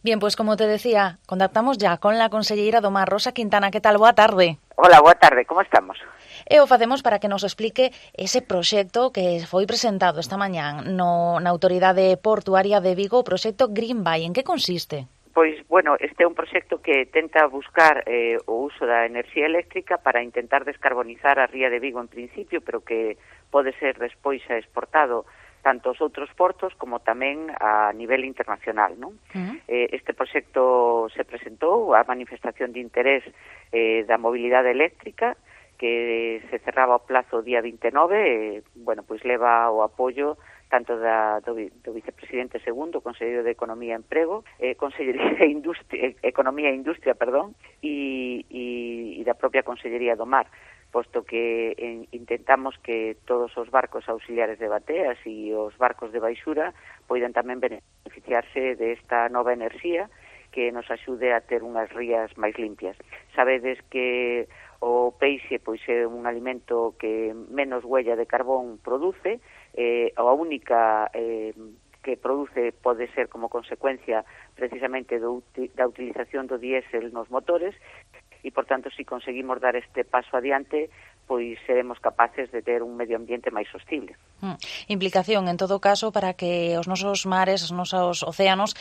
Bien, pues como te decía, contactamos ya con la conselleira do Mar, Rosa Quintana. Que tal? Boa tarde. Hola, boa tarde, como estamos? E o facemos para que nos explique ese proxecto que foi presentado esta mañán na Autoridade Portuaria de Vigo, o proxecto Green Bay. En que consiste? Pois, bueno, este é un proxecto que tenta buscar o uso da enerxía eléctrica para intentar descarbonizar a ría de Vigo en principio, pero que pode ser despois exportado tanto aos outros portos como tamén a nivel internacional, non? Este proxecto se presentou a manifestación de interés da mobilidade eléctrica, que se cerraba o plazo o día 29, bueno, pois leva o apoio tanto do vicepresidente segundo, Conselleiro de Economía e Emprego, Consellería de Economía e Industria, e da propia Consellería do Mar, posto que intentamos que todos os barcos auxiliares de bateas e os barcos de baixura poidan tamén beneficiarse desta nova enerxía que nos axude a ter unhas rías máis limpias. Sabedes que o peixe pois é un alimento que menos huella de carbón produce, a única que produce pode ser como consecuencia precisamente da utilización do diésel nos motores, e, por tanto, se conseguimos dar este paso adiante, pois seremos capaces de ter un medio ambiente máis sostible. Implicación, en todo caso, para que os nosos mares, os nosos océanos,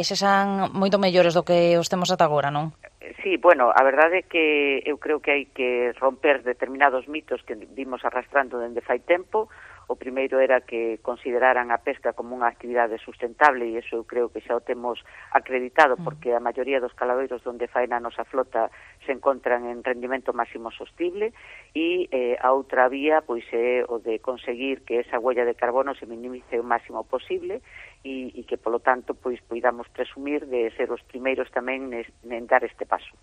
sexan moito mellores do que os temos ata agora, non? Sí, bueno, a verdade é que eu creo que hai que romper determinados mitos que vimos arrastrando dende fai tempo. O primeiro era que consideraran a pesca como unha actividade sustentable, e iso eu creo que xa o temos acreditado, porque a maioría dos caladoiros onde faena a nosa flota se encontran en rendimento máximo sostible, e a outra vía pois é o de conseguir que esa huella de carbono se minimice o máximo posible, e que, polo tanto, pois poidamos presumir de ser os primeiros tamén en dar este paso.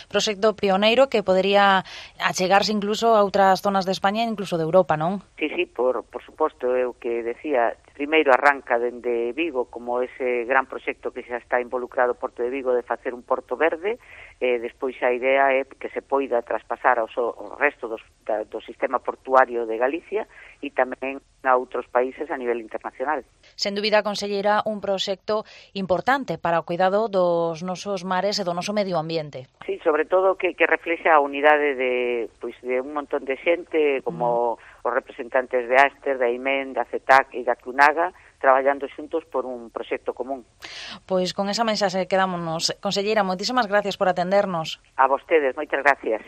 Proxecto pioneiro que podería achegarse incluso a outras zonas de España e incluso de Europa, non? Sí, por suposto, é o que decía, primeiro arranca dende Vigo como ese gran proxecto que xa está involucrado o Porto de Vigo de facer un porto verde, despois a idea é que se poida traspasar ao resto do sistema portuario de Galicia e tamén a outros países a nivel internacional. Sen dúbida, conselleira, un proxecto importante para o cuidado dos nosos mares e do noso medio ambiente. Sí, sobre todo que reflexa a unidade de un montón de xente, como os representantes de Aster, da IMEN, da CETAC e da CUNAGA, traballando xuntos por un proxecto común. Pois con esa mensaxe quedámonos. Conselleira, moitísimas gracias por atendernos. A vostedes, moitas gracias.